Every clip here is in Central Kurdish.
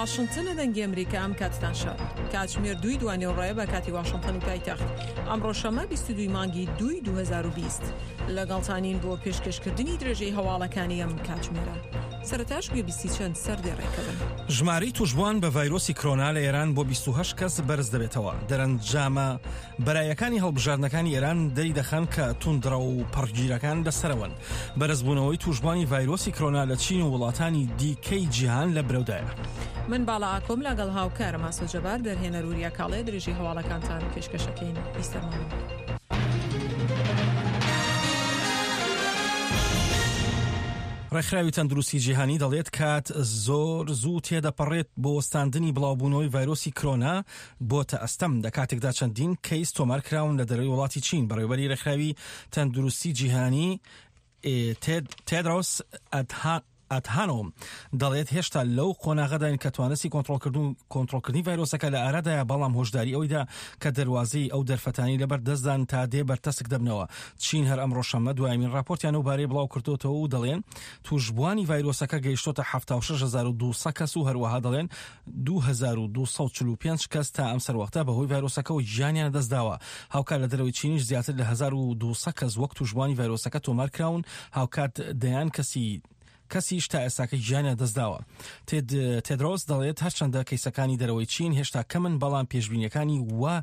واشنتنە دەنگی ئەمریکا ئەم کاتتان شاد. کاتژمێر دووی دوانیوەڕۆیە بە کاتی واشنتن و پایتەخت. ئەمڕۆ شەممە 22 مانگی دووی 2020. لەگەڵتانین بۆ پێشکەشکردنی درێژەی هەواڵەکانی ئەم کاتژمێرە. سەرەتاش گوێبیستی چەند سەردێڕێکە بن. ژمارەی تووشبووان بە ڤایرۆسی کرۆنا لە ئێران بۆ 28 کەس بەرز دەبێتەوە. دەرەنجامە بەرایەکانی هەڵبژاردنەکانی ئێران دەریدەخەن کە توندڕەو و پەڕگیرەکان لەسەرەوەن. بەرزبوونەوەی تووشبووانی ڤایرۆسی کرۆنا لە چین و وڵاتانی دیکەی جیهان لە برەودایە. من باڵا ئاکۆم لەگەڵ هاوکارم ئاسۆ جەبار، دەرهێنەر وریا کاڵێ درێژەی هەواڵەکانتان پێشکەشەکەین. بیسەرمان بن. ڕێکخراوی تەندروستی جیهانی دەڵێت کات زۆر زوو تێدەپەڕێت بۆ وەستاندنی بڵاوبوونەوەی ڤایرۆسی کرۆنا بۆتە ئەستەم لە کاتێکدا چەندین کەیس تۆمار کراون لە دەرەوەی وڵاتی چین بەڕێوەبەری ڕێکخراوی تەندروستی جیهانی تێدرۆس ئەدهانۆم دەڵێت هێشتا لەو قۆناغەداین کە توانستی کۆنترۆڵکردن کۆنترۆڵکردنی ڤایرۆسەکە لە ئارادایە بەڵام هۆشداری ئەوەیدا کە دەروازەی ئەو دەرفەتانی لەبەر دەستدان تا دێ بەرتەسک دەبنەوە چین هەر ئەمڕۆ شەممە دوایمین راپۆرتیان لەو بارەیە بڵاو کردۆتەوە و دەڵێن تووشبووانی ڤایرۆسەکە گەیشتۆتە 76200 کەس و هەروەها دەڵێن 2245 کەس تا ئەم سەروەختە بەهۆی ڤایرۆسەکەوە گیانیان لەدەستداوە. هاوکات لە دەرەوەی چینیش زیاتر لە 1200 کەس وەک تووشبووانی ڤایرۆسەکە تۆمارکراون، هاوکات دەیان کەسی کەسیش تا ئێستاکە گیانیان لەدەستداوە. تێد تێدرۆس دەڵێت هەرچەندە کەیسەکانی دەرەوەی چین هێشتا کەمن بەڵام پێشبینیەکانی وا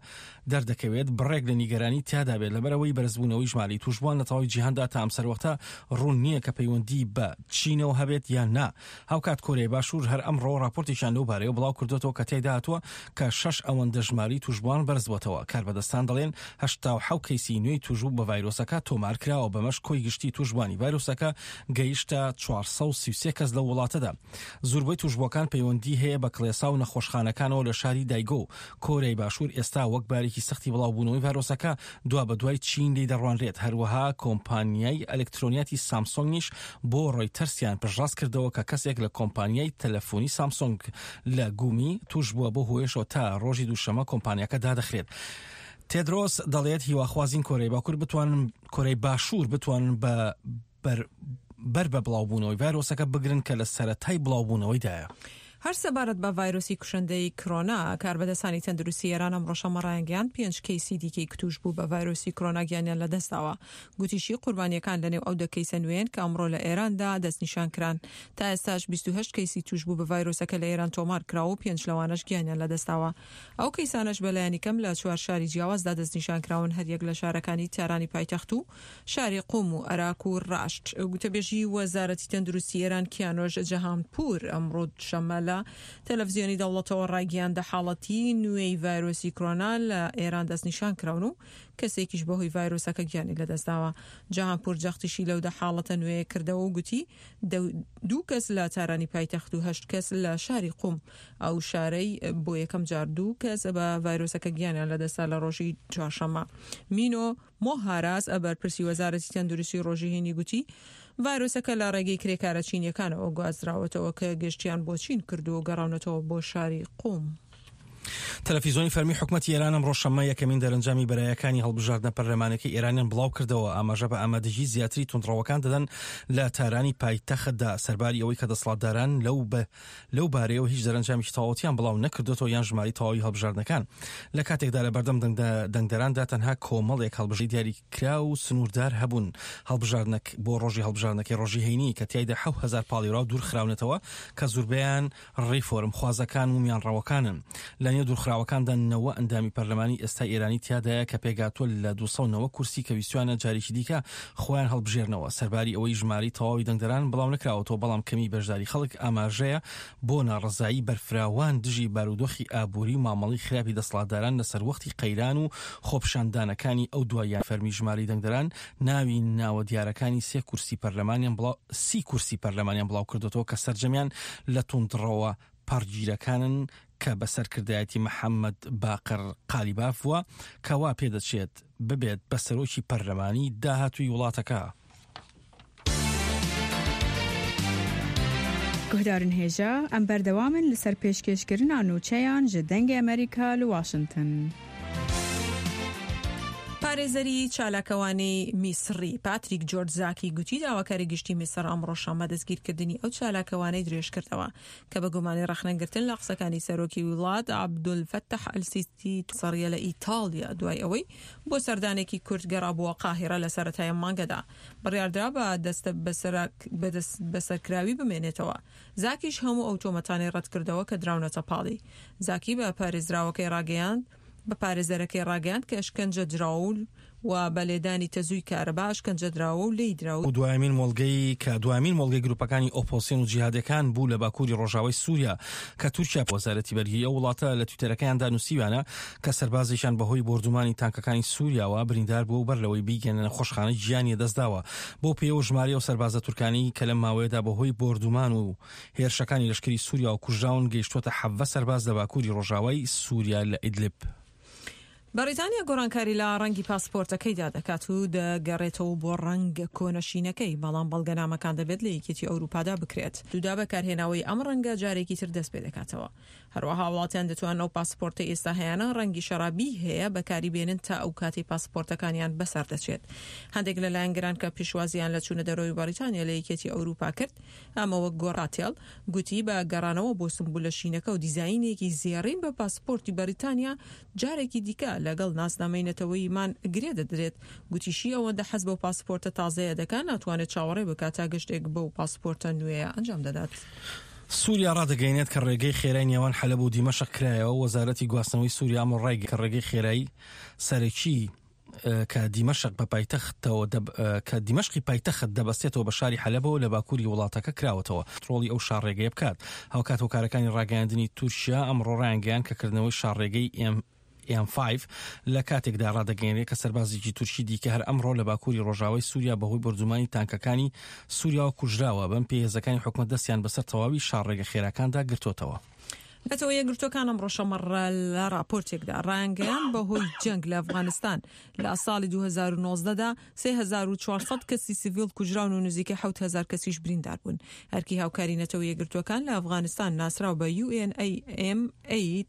دەردەکەوێت بڕێک لە نیگەرانی تیادا بێت لەبەرئەوەی بەرزبوونەوەی ژمارەی تووشبووان لە تەواوی جیهاندا تا ئەم سەروەختە ڕوون نییە کە پەیوەندی بە چینەوە هەبێت یان نا. هاوکات کۆریای باشوور هەر ئەمڕۆ ڕاپۆرتێکیان لەو بارەیەوە بڵاو کردۆتەوە کە تیایدا هاتووە کە شەش ئەوەندە ژمارەی تووشبووان بەرزبووەتەوە. کاربەدەستان دەڵێن 87 کەیسی نوێی تووشبوو بە ڤایرۆسەکە تۆمار کراوە، بەمەش کۆی گشتی تووشبووانی ڤایرۆسەکە گەیشتە 433 کەس لەو وڵاتەدا. زوربەی تووشبووەکان پەیوەندی هەیە بە کڵێسا و نەخۆشخانەکانەوە لە شاری دایگۆ. کۆریای باشوور ئێستا وەک بارێکی سەختی بڵاوبوونەوەی ڤایرۆسەکە دوابەدوای چین لێی دەڕوانرێت، هەروەها کۆمپانیای ئەلکترۆنیاتی سامسۆنگیش بۆ ڕۆیتەرسیان پشتڕاست کردەوە کە کەسێک لە کۆمپانیای تەلەفۆنی سامسۆنگ لە گومی تووشبووە بەو هۆیەشەوە تا ڕۆژی دووشەممە کۆمپانیاکە دادەخرێت. تێدرۆس دەڵێت هیواخوازین کۆریای باکوور بتوانن کۆریای باشوور بتوانن بە بەر بە بڵاوبوونەوەی ڤایرۆسەکە بگرن کە لە سەرەتای بڵاوبوونەوەیدایە. هەر سەبارەت بە ڤایرۆسی کوشندەی کرۆنا، کاربەدەستانی تەندروستی ئێران ئەمڕۆ شەممە ڕایانگەیاند پێنج کەیسی دیکەی تووشبوو بە ڤایرۆسی کرۆنا گیانیان لەدەستداوە. گوتیشی قوربانییەکان لەنێو ئەو دە کەیسە نوێیەن کە ئەمڕۆ لە ئێراندا دەستنیشانکران. تا ئێستاش 28 کەیسی تووشبوو بە ڤایرۆسەکە لە ئێران تۆمارکراوە و پێنج لەوانەش گیانیان لەدەستداوە. ئەو کەیسانەش بەلایەنی کەم لە چوار شاری جیاوازدا دەستنیشانکراون هەریەک لە شارەکانی تارانی پایتەخت و شاری قوم و ئەراک و ڕاشت. گوتەبێژی وەزارەتی تەندروستی ئێران کیانۆش جەهانپوور ئەمڕۆ دووشەممە لە تەلەفزیۆنی دەوڵەتەوە ڕایگەیاند حاڵەتی نوێی ڤایرۆسی کرۆنا لە ئێران دەستنیشان کراون و کەسێکیش بەهۆی ڤایرۆسەکە گیانی لەدەستداوە. جەهانپوور جەختیشی لەو دە حاڵەتە نوێیە کردەوە و گوتی دوو کەس لە تارانی پایتەخت و هەشت کەس لە شاری قوم، ئەو شارەی بۆ یەکەم جار دوو کەس بە ڤایرۆسەکە گیانیان لەدەستدا لە ڕۆژی چوارشەممە. مینۆ مۆ هاراس، بەرپرسی وەزارەتی تەندروستی ڕۆژی هەینی گوتی، ڤایرۆسەکە لە ڕێگەی کرێکارە چینییەکانەوە گوازراوەتەوە کە گەشتیان بۆ چین کردووە و گەڕاونەتەوە بۆ شاری قوم. تەلەفیزۆنی فەرمی حکومەتی ئێران ئەمڕۆ شەممە یەکەمین دەرەنجامی بەرایەکانی هەڵبژاردنە پەرلەمانەکەی ئێرانیان بڵاوکردەوە، ئاماژە بە ئامادەگی زیاتری توندڕەوەکان دەدەن لە تارانی پایتەختدا، سەرباری ئەوەی کە دەسەڵاتداران لەو لەو بارەیەوە هیچ دەرەنجامێکی تەواوەتیان بڵاو نەکردۆتەوە یان ژمارەی تەواوی هەڵبژاردنەکان لە کاتێکدا لە بەردەم دەنگدەراندا تەنها کۆمەڵێک هەڵبژی دیاریکراو و سنووردار هەبوون هەڵبژاردنەک بۆ ڕۆژی هەڵبژاردنەکەی ڕۆژی هەینی کە تیایدا 7000 پاڵیوراو دوورخراونەتەوە کە زوربەیان ڕیفۆرم خوازەکان و میانڕەوەکانن لە نێو دوورخراوەکاندا نەوە ئەندامی پەرلەمانی ئێستای ئێرانی تیادایە کە پێکهاتووە لە 290 کورسی کە ویستویانە جارێکی دیکە خۆیان هەڵبژێرنەوە. سەرباری ئەوەی ژمارەی تەواوی دەنگدەران بڵاونەکراوەتەوە، بەڵام کەمی بەشداری خەڵک ئاماژەیە بۆ ناڕەزایی بەرفراوان دژی بارودۆخی ئابووری و مامەڵەی خراپی دەسەڵاتداران لە سەروەختی قەیران و خۆپیشاندانەکانی ئەو دواییانە. فەرمی ژمارەی دەنگدەران ناوی ناوە دیارەکانی سێ کورسی پەرلەمانیان بڵاو سی کورسی پەرلەمانیان بڵاوکردۆتەوە کە سەرجەمیان لە توندڕەوە پەڕگیرەکانن کە بە سەرکردایەتی محەممەد باقر قالیباف بووە کە وا پێدەچێت ببێت بە سەرۆکی پەرلەمانی داهاتووی وڵاتەکە. Guhdarên hêja, em berdewam in li ser pêşkêşkirina nûçeyan ji Dengê Amerîka li Washington. پارێزەری چالاکەوانی میسڕی پاتریک جۆرج زاکی گوتی داواکاری گشتی میسڕ ئەمڕۆ شەممە دەستگیرکردنی ئەو چالاکەوانەی درێژکردەوە کە بە گومانی ڕەخنەگرتن لە قسەکانی سەرۆکی وڵات عەبدولفەتاح ئەلسیسی سڕیە لە ئیتاڵیا دوای ئەوەی بۆ سەردانێکی کورت گەڕابووە قاهیڕە لە سەرەتای ئەم مانگەدا بڕیاردرا بە دەستبەسەرکراوی بمێنێتەوە. زاکیش هەموو ئەو تۆمەتانەی ڕەتکردەوە کە دراونەتە پاڵی. زاکی بە پارێزراوەکەی ڕاگەیاند بە پارێزەرەکەی ڕاگەیاند کە ئەشکەنجە دراوە و بە لێدانی تەزووی کارەبا ئەشکەنجە دراوە و لێی دراوە. دوایەمین مۆڵگەی کە دوایەمین مۆڵگەی گروپەکانی ئۆپۆسیۆن و جیهادیەکان بوو لە باکووری ڕۆژاوای سووریا کە تورکیا وەزارەتی بەرگری ئەو وڵاتە لە تویتەرەکەیاندا نووسیویانە کە سەربازێکیان بەهۆی بۆردومانی تانکەکانی سووریاوە بریندار بووە و بەر لەوەی بیگەنە نەخۆشخانە گیانی لەدەستداوە. بەو پێیەوە ژمارەی ئەو سەربازە تورکانەی کە لەم ماوەیەدا بەهۆی بۆردومان و هێرشەکانی لەشکری سووریاوە کوژراون گەیشتووەتە 17 سەرباز لە باکووری ڕۆژاوای سووریا لە ئیدلب. بەڕیتانیا گۆڕانکاری لە ڕەنگی پاسپۆرتەکەیدا دەکات و دەگەڕێتەوە بۆ ڕەنگە کۆنە شینەکەی، بەڵام بەڵگەنامەکان دەبێت لە یەکێتی ئەوروپادا بکرێت. دودا بەکارهێناوەی ئەم ڕەنگە جارێکی تر دەستپێدەکاتەوە. هەروەها هاوڵاتیان دەتوانن ئەو پاسپۆرتەی ئێستا هەیانە ڕەنگی شەرابی هەیە بەکاری بێنن تا ئەو کاتەی پاسپۆرتەکانیان بەسەر دەچێت. هەندێک لە لایەنگران کە پێشوازیان لە چوونە دەرەوەی بەڕیتانیا لە یەکێتی ئەوروپا کرد، ئەمە وەک گۆڕاتێڵ گوتی بە گەڕانەوە بۆ سمبولە شینەکە و دیزاینێکی زێڕین بە پاسپۆرتی بەڕیتانیا جارێکی دیکە لەگەڵ ناسنامەی نەتەوەییمان گرێ دەدرێت. گوتیشی ئەوەندە حەز بەو پاسپۆرتە تازەیە دەکات ناتوانێت چاوەڕێ بکات تا گەشتێک بەو پاسپۆرتە نوێیە ئەنجام دەدات. سووریا ڕادەگەیەنێت کە ڕێگەی خێرای نێوان حەلەب و دیمەشق کرایەوە، وەزارەتی گواستنەوەی سووریا ئەمڕۆ ڕایگەیاند کە ڕێگەی خێرای سەرەکی کە دیمەشق بە پایتەختەوە کە دیمەشقی پایتەخت دەبەستێتەوە بە شاری حەلەبەوە لە باکووری وڵاتەکە کراوەتەوە ترۆڵی ئەو شاڕێگەیە بکات. هاوکات هۆکارەکانی ڕاگەیاندنی تورکیا ئەمڕۆ ڕایانگەیاند کە کردنەوەی شاڕێگەی ئێم ئێم فایڤ لە کاتێکدا ڕادەگەیەنرێت کە سەربازێکی تورکی دیکە هەر ئەمڕۆ لە باکووری ڕۆژاوای سووریا بەهۆی بۆردومانی تانکەکانی سووریاوە کوژراوە، بەم پێیە هێزەکانی حکومەت دەستیان بەسەر تەواوی شاڕێگە خێراکاندا گرتۆتەوە. نەتەوە یەکگرتووەکان ئەمڕۆ شەممە لە ڕاپۆرتێکدا ڕایانگەیاند بەهۆی جەنگ لە ئەفغانستان لە ساڵی 2019 دا 3400 کەسی سیڤیل کوژراون و نزیکەی 7000 کەسیش بریندار بوون. ئەرکی هاوکاری نەتەوە یەکگرتووەکان لە ئەفغانستان ناسراو بە UNAMA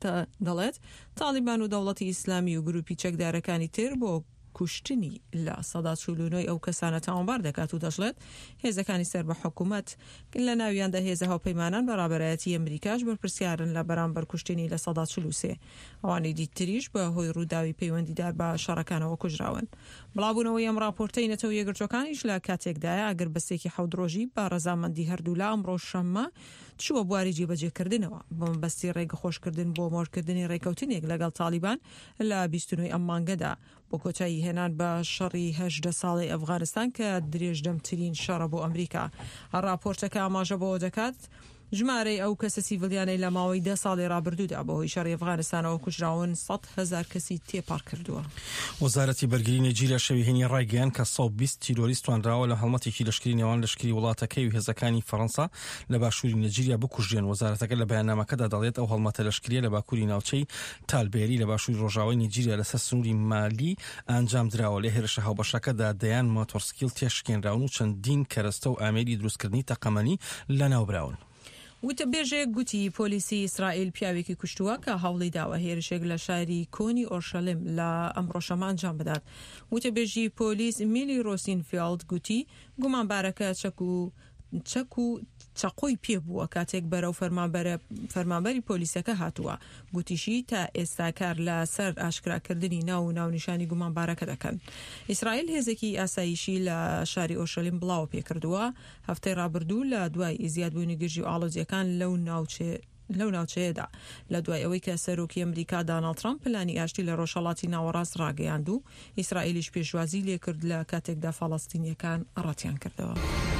دەڵێت تاڵیبان و دەوڵەتی ئیسلامی و گروپی چەکدارەکانی تر بۆ کوشتنی 49% ی ئەو کەسانە تاوانبار دەکات و دەشڵێت هێزەکانی سەر بە حکومەت لە ناویاندا هێزە هاوپەیمانان بە ڕابەرایەتی ئەمریکاش بەرپرسیارن لە بەرامبەر کوشتنی 43% ئەوانی دیتریش بە هۆی ڕووداوی پەیوەندیدار بە شەڕەکانەوە کوژراون. بڵاوبوونەوەی ئەم ڕاپۆرتەی نەتەوە یەکگرتووەکانیش لە کاتێکدایە ئاگربەستێکی حەوت ڕۆژی بە ڕەزامەندی هەردوولا ئەمڕۆ شەممە چووە بواری جێبەجێکردنەوە بە مەبەستی ڕێگەخۆشکردن بۆ مۆرکردنی ڕێکەوتنێک لەگەڵ تاڵیبان لە 29 ئەم مانگەدا بۆ کۆتایی هێنان بە شەڕی 18 ساڵەی ئەفغانستان کە درێژدەمترین شەڕە بۆ ئەمریکا. ڕاپۆرتەکە ئاماژە بەوە دەکات، ژمارەی ئەو کەسە سیڤیلیانەی لە ماوەی دە ساڵی ڕابردوودا بەهۆی شەڕی ئەفغانستانەوە کوژراون 100,000 کەسی تێپەڕ کردووە. وەزارەتی بەرگری نەیجیریا شەوی هەینی ڕایگەیاند کە 120 تیرۆریست توانراوە لە هەڵمەتێکی لەشکری نێوان لەشکری وڵاتەکەی و هێزەکانی فەرەنسا لە باشووری نەیجیریا بکوژرێن. وەزارەتەکە لە بەیاننامەکەدا دەڵێت ئەو هەڵمەتە لەشکرییە لە باکووری ناوچەی تالبێری لە باشووری ڕۆژاوای نەیجیریا لەسەر سنووری مالی ئەنجامدراوە. لە هێرشە هاوبەشەکەدا دەیان ماتۆڕسکیل تێکشکێنراون و چەندین کەرەستە و ئامێری دروستکردنی تەقەمەنی لەناوبراون. وتەبێژێک گوتی پۆلیسی ئیسرائیل پیاوێکی کوشتووە کە هەوڵی داوە هێرشێک لە شاری کۆنی ئۆرشەلیم لە ئەمڕۆ شەممە ئەنجام بدات. وتەبێژی پۆلیس میلی ڕۆسینفێڵد گوتی گومانبارەکە چەک و چەک و چەقۆی پێ بووە کاتێک بەرەو فەرمانبەری پۆلیسەکە هاتووە. گوتیشی تا ئێستا کار لە سەر ئاشکراکردنی ناو و ناونیشانی گومانبارەکە دەکەن. ئیسرائیل هێزێکی ئاسایشی لە شاری ئۆرشەلیم بڵاوە پێکردووە. هەفتەی ڕابردوو لە دوای زیادبوونی گرژی و ئاڵۆزییەکان لەو لەو ناوچەیەدا لە دوای ئەوەی کە سەرۆکی ئەمریکا داناڵد ترەمپ پلانی ئاشتی لە ڕۆژهەڵاتی ناوەڕاست ڕاگەیاند و ئیسرائیلیش پێشوازی لێکرد لە کاتێکدا فەڵەستینییەکان ڕەتیان کردەوە.